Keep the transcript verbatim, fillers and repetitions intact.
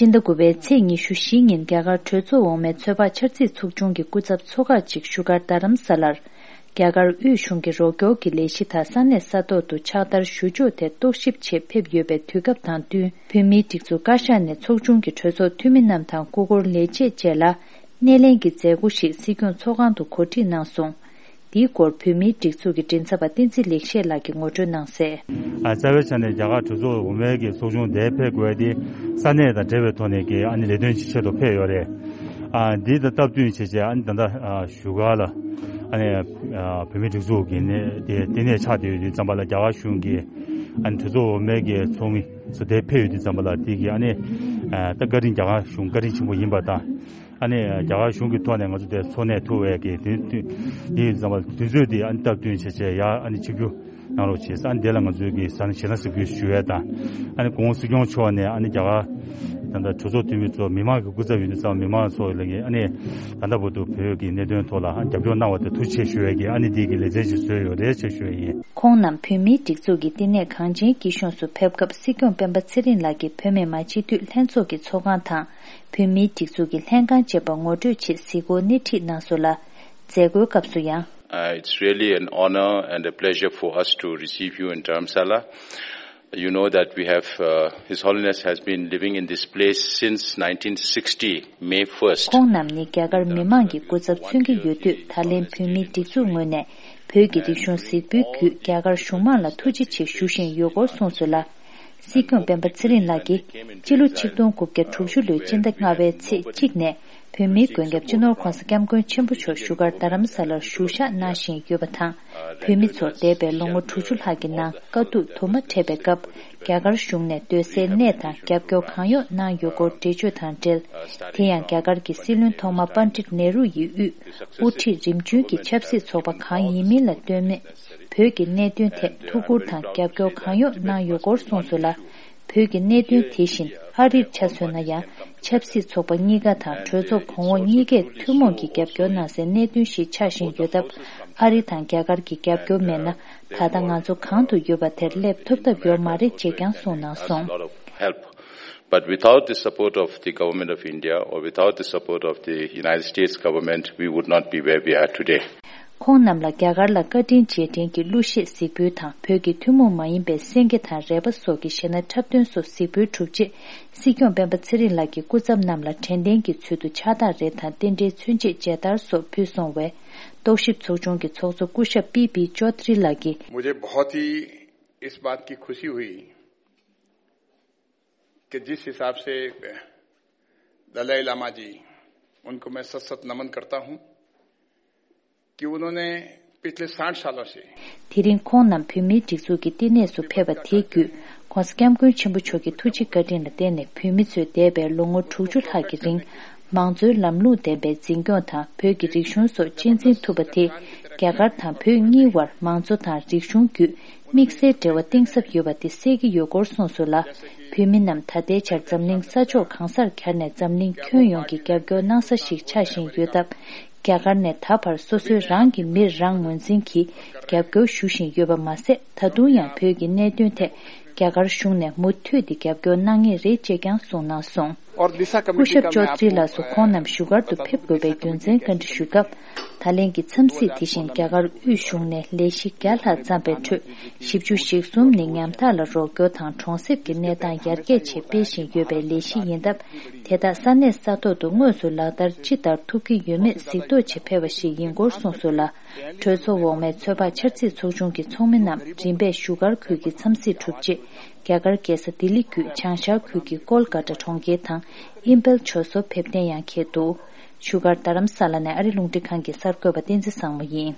སྤྱི་ཟླ་དགུ་པའི་ཚེས་ཉི་ཤུ་བཞི་ཉིན་རྒྱ་གར་གྲོས་ཚོགས་འོག་མའི་ཚོད་དཔག་འཆར་རྩིས་ཚོགས་ཆུང་གི་སྐུ་ཚབ་ཚོགས་ཁག་ཅིག་བཞུགས་སྒར་རྡ་རམ་ས་ལར། རྒྱ་གར་དབུས་གཞུང་གི་རོགས་སྐྱོར་གྱི་ལས་གཞི་དང་ས་གནས་ས་ཐོག་ཏུ་ཕྱག་བསྟར་ཞུ་ཕྱོགས་ཐད་རྟོག་ཞིབ་ཆེད་ཕེབས་ཡོད་པའི་དུས་སྐབས་དང་བསྟུན། བོད་མིའི་སྒྲིག་འཛུགས་བཀའ་ཤག་ནས་ཚོགས་ཆུང་གི་གྲོས་ཚོགས་འཐུས་མི་རྣམས་དང་སྐུ་འཁོར་ལས་བྱེད་བཅས་ལ། སྣེ་ལེན་གྱི་མཛད་སྒོ་ཞིག་སྲིད་སྐྱོང་ཚོགས་ཁང་དུ་གོ་སྒྲིག་གནང་སོང་། འདིའི་སྐོར་བོད་མིའི་སྒྲིག་འཛུགས་ཀྱི་མགྲིན་ཚབ་པ་བསྟན་འཛིན་ལེགས་བཤད་ལགས་ཀྱིས་ངོ་སྤྲོད་གནང་གསལ། ཨ། རྩ་བའི་ཆ་ནས་རྒྱ་གར་གྲོས་ཚོགས་འོག་མའི་གི་ཚོགས་ཆུང་དེ་ཕེབས་དགོས་དེ་ས་གནས་དང་འབྲེལ་བའི་ཐོག་ནས་ཀྱི་ཨ་ནི་ལས་དོན་ཆེད་དུ་ཕེབས་ཡོད་རེད། ཨ། འདི་དང་སྟབས་བསྟུན་བྱས་བྱས་ཨ་ནི་ད་ལྟ་ཨ་བཞུགས་སྒར་ལ་ཨ་ནི་ཨ་བོད་མིའི་སྒྲིག་འཛུགས་ཀྱི་ནས་དེ་ལྟེ་གནས་ཆགས་བསྡད་ཡོད་དུས་ཙམ་པ་ལ་རྒྱ་གར་གཞུང་གི་ཨ་ནི་གྲོས་ཚོགས་འོག་མའི་གི་ཚོགས་མི་ཚོ་དེ་ཕེབས་ཡོད་དུས་ཙམ་པ་ལ་དེ་གི་ཨ་ནི་ཨ་ད་བཀའ་དྲིན་རྒྱ་གར་གཞུང་བཀའ་དྲིན་ཆེན་པོ་ཡིན་པ་དང་། ཨ་ནི་རྒྱ་གར་གཞུང་གི་ཐོག་ནས་ང་ཚོ་དེ་འཚོ་གནས་ཐུབ་པའི་གི་དུས་དུས་དུས་ཙམ་པ་དུས་ཚོད་དེ་ཨ་ནི་སྟབས་བསྟུན་བྱས་བྱས་ཡར་ཨ་ནི་ཆིབས་བསྒྱུར་གནང་རོགས་བྱས། ཨ་ནི་དེ་ལ་ང་ཚོའི་གི་ས་གནས་ཞེ་ན་གཟིགས་འབུལ་ཞུ་ཡས་དང་། ཨ་ནི་གོང་སྲིད་སྐྱོང་མཆོག་ནས་ཨ་ནི་རྒྱ་གར་ད་ལྟ་གྲོས་ཚོགས་འཐུས་མི་ཚོ་མི་མང་གི་སྐུ་ཚབ་ཡིན་དུས་ཙམ་མི་མང་ཚོ་ལ་གི་ཨ་ནི་ད་ལྟ་བར་དུ་བོད་ཀྱི་གནད་དོན་ཐོག་ལ་ཨ་རྒྱབ་སྐྱོར་གནང་བ་དེ་ཐུགས་རྗེ་ཆེ་ཞུ་ཡས་ཀྱི་ཨ་ནི་དེ་གི་ལེ་ཚན་ཞིག་བཟོས་ཡོད་རེད་ཅེས་ཞུ་ཡས་ཡིན། ཁོང་རྣམས་བོད་མིའི་སྒྲིག་འཛུགས་ཀྱི་བསྟི་གནས་གངས་ཅན་སྐྱིད་གཤོངས་སུ་ཕེབས་སྐབས་སྲིད་སྐྱོང་སྤེན་པ་ཚེ་རིང་ལགས་ཀྱིས་བོད་མི་མང་སྤྱི་འཐུས་ལྷན་ཚོགས་ཀྱི་ཚོགས་ཁང་དང་། བོད་མིའི་སྒྲིག་འཛུགས་ཀྱི་ལྷན་ཁང་བཅས་པ་ངོ་སྤྲོད་ཆེད་གཟིགས་སྐོར་སྣེ་ཁྲིད་གནང་སོང་ལ། མཛད་སྒོའི་སྐབས་སུ་ཡང་། Uh, it's really an honor and a pleasure for us to receive you in Dharamsala. You know that we have, uh, His Holiness has been living in this place since nineteen sixty, May first. ཁོང་རྣམས་ནི་རྒྱ་གར་མི་མང་གི་སྐུ་ཚབ་མཚོན་གྱི་ཡོད་དུས་ད་ལན་བོད་མིའི་སྒྲིག་འཛུགས་ངོས་ནས་བོད་ཀྱི་རིག་གཞུང་གཟིགས་འབུལ་བརྒྱུད་རྒྱ་གར་གཞུང་མང་ལ་ཐུགས་རྗེ་ཆེ་ཞུ་བཞིན་ཡོད་སྐོར་གསུངས་སོང་ལ། སྲིད་སྐྱོང་སྤེན་པ་ཚེ་རིང་ལགས་ཀྱིས་སྤྱི་ལོ་ཆིག་སྟོང་དགུ་བརྒྱ་དྲུག་ཅུ་ལོའི་སྤྱི་ཟླ་ལྔ་པའི་ཚེས་གཅིག་ནས་བོད་མིའི་མགོན་སྐྱབས་སྤྱི་ནོར་༧གོང་ས་༧སྐྱབས་མགོན་ཆེན་པོ་མཆོག་བཞུགས་སྒར་རྡ་རམ་ས་ལར་བཞུགས་ཞག་གནང་བཞིན་ཡོད་པ་དང་། བོད་མི་ཚོ་འདས་པའི་ལོ་ངོ་དྲུག་ཅུ་ལྷག་གི་ནང་དཀའ་སྡུག་དུ་མ་འཕྲད་པའི་སྐབས་རྒྱ་གར་གཞུང་ནས་སྡོད་སའི་གནས་དང་རྒྱབ་སྐྱོར་གང་ཡོང་གནང་ཡོད་སྐོར་འགྲེལ་བརྗོད་དང་འབྲེལ། དེ་ཡང་རྒྱ་གར་གྱི་སྲིད་བློན་ཐོག་མ་པཎ་ཌིཏ་ནེ་རུ་ཡི་དབུས་དབུ་ཁྲིད་རིམ་བྱོན་གྱི་ཆབ་སྲིད་ཚོགས་པ་གང་ཡིན་མིན་ལ་ལྟོས་མེད། བོད་ཀྱི་གནད་དོན་ཐད་ཐུགས་ཁུར་དང་རྒྱབ་སྐྱོར་གང་ཡོང་གནང་ཡོད་སྐོར་གསུངས་སོང་ལ། བོད་ཀྱི་གནད་དོན་དེ་བཞིན་ཨ་རིར་ཆ་མཚོན་ན་ཡང་ཆབ་སྲིད་ཚོགས་པ་གཉིས་ཀ་དང་གྲོས་ཚོགས་གོང་འོག་གཉིས་ཀས་ཐུན་མོང་གིས་རྒྱབ་སྐྱོར་གནང་སའི་གནད་དོན་ཞིག་ཆགས་བཞིན་ཡོད་སྟབས། ཨ་རི་དང་རྒྱ་གར་གྱི་རྒྱབ་སྐྱོར་མེད་ན་ད་ལྟ་ང་ཚོ་གང་དུ་ཡོད་པ་དེར་སླེབས་ཐུབ་ཐབས་ཡོད་མ་རེད་ཅེས་ཀྱང་གསུངས་གནང་སོང་། But without the support of the government of India or without the support of the United States government, we would not be where we are today. ཁོང་རྣམས་ལ་རྒྱ་གར་ལ་བཀའ་དྲིན་རྗེས་དྲན་གྱི་གླུ་གཞས་གཟིགས་འབུལ་དང་བོད་ཀྱི་ཐུན་མོང་མ་ཡིན་པའི་སེང་གེ་དང་རལ་པ་སོགས་ཀྱི་གཞས་སྣ་འཁྲབ་སྟོན་སོགས་གཟིགས་འབུལ་གྲུབ་རྗེས། སྲིད་སྐྱོང་སྤེན་པ་ཚེ་རིང་ལགས་ཀྱིས་སྐུ་ཚབ་རྣམས་ལ་དྲན་རྟེན་གྱི་ཚུལ་དུ་ཕྱག་རྟགས་རེ་དང་རྟེན་འབྲེལ་མཚོན་ཆས་མཇལ་དར་སོགས་ཕུལ་སོང་བས། རྟོག་ཞིབ་ཚོགས་ཆུང་གི་ཚོགས་གཙོ་སྐུ་ཞབས་པི་པི་ཅོ་ཏྲི་ལགས་ཀྱིས། मुझे बहुत ही इस बात की खुशी हुई कि जिस हिसाब से दलाई लामा जी, उनको मैं सत सत नमन करता हूं कि उन्होंने पिछले साठ सालों से དེ་རིང་ཁོང་རྣམས་བོད་མིའི་སྒྲིག་འཛུགས་ཀྱི་བསྟི་གནས་སུ་ཕེབས་པ་དེའི་བརྒྱུད། ྋགོང་ས་ྋསྐྱབས་མགོན་ཆེན་པོ་མཆོག་གི་ཐུགས་རྗེ་བཀའ་དྲིན་ལ་བརྟེན་ནས་བོད་མི་ཚོས་འདས་པའི་ལོ་ངོ་དྲུག་ཅུ་ལྷག་གི་རིང་། མང་གཙོའི་ལམ་ལུགས་ལྡན་པའི་འཛིན་སྐྱོང་དང་བོད་ཀྱི་རིག་གཞུང་སོགས་གཅེས་འཛིན་ཐུབ་པ་དེས། རྒྱ་གར་དང་བོད་གཉིས་བར་མང་གཙོ་དང་རིག་གཞུང་བརྒྱུད། དམིགས་བསལ་འབྲེལ་བ་གཏིང་ཟབ་ཡོད་པ་དེ་གསལ་གྱི་ཡོད་སྐོར་གསུངས་སོང་ལ། བོད་མི་རྣམས་ད་ལྟའི་ཆར་འཛམ་གླིང་ས་ཕྱོགས་གང་སར་གྱར་ནས་འཛམ་གླིང་ཁྱོན་ཡོངས་ཀྱི་རྒྱབ་སྐྱོར་གནང་ས་ཞིག་ཆགས་བཞིན་ཡོད་སྟབས། རྒྱ་གར་ནས་ད་བར་སོ་སོའི་རང་གི་མིར་རང་ངོས་འཛིན་གྱིས་རྒྱབ་སྐྱོར་ཞུ་བཞིན་ཡོད་པ་མ་ཟད། ད་དུང་ཡང་བོད་ཀྱི་གནད་དོན་ཐད་རྒྱ་གར་གཞུང་ནས་མུ་མཐུད་དེ་རྒྱབ་སྐྱོར་གནང་ངེས་རེད་ཅེས་ཀྱང་གསུངས་གནང་སོང་། སྐུ་ཞབས་ཅོ་ཏྲི་ལགས་སུ་ཁོང་རྣམས་བཞུགས་སྒར་དུ་ཕེབས་དགོས་པའི་རྒྱུ་མཚན་བཀའ་འདྲི་ཞུས་སྐབས། ད་ལན་གྱི་འཚམས་གཟིགས་དེ་བཞིན་རྒྱ་གར་དབུས་གཞུང་ནས་ལས་གཞི་བརྒྱ་ལྷག་བརྩམས་པའི་ཁྲོད། བཞི་བཅུ་ཞེ་གསུམ་ནི་ཉམ་ཐག་ལ་རོགས་སྐྱོར་དང་གྲོང་གསེབ་ཀྱི་གནས་སྟངས་ཡར་རྒྱས་ཆེད་སྤེལ་བཞིན་ཡོད་པའི་ལས་གཞི་ཡིན་སྟབས། དེ་དག་ས་གནས་ས་ཐོག་ཏུ་དངོས་སུ་ལག་བསྟར་ཅི་ལྟར་ཐུབ་ཀྱི་ཡོད་མེད་གཟིགས་རྟོག་ཆེད་ཕེབས་པ་ཞིག་ཡིན་སྐོར་གསུངས་སོང་ལ། གྲོས་ཚོགས་འོག་མའི་ཚོད་དཔག་འཆར་རྩིས་ཚོགས་ཆུང་གི་ཚོགས་མི་རྣམས་རིམ་པས་བཞུགས་སྒར་ཁུལ་གྱི་འཚམས་གཟིགས་གྲུབ་རྗེས། རྒྱ་གར་རྒྱལ་ས་ལྡི་ལི་བརྒྱུད་བྱང་ཤར་ཁུལ་གྱི་ཀོལ་ཀ་ཏ་གྲོང་ཁྱེར་དང་ཨིམ་ཕལ་ཕྱོགས་སུ་ཕེབས་གཏན་ཡང་འཁེལ་འདུག་བཞུགས་སྒར་རྡ་རམ་ས་ལ་ནས་ཨ་རི་རླུང་འཕྲིན་ཁང་གི་གསར་འགོད་པ་བསྟན་འཛིན་བཟང་མོ་ཡིན།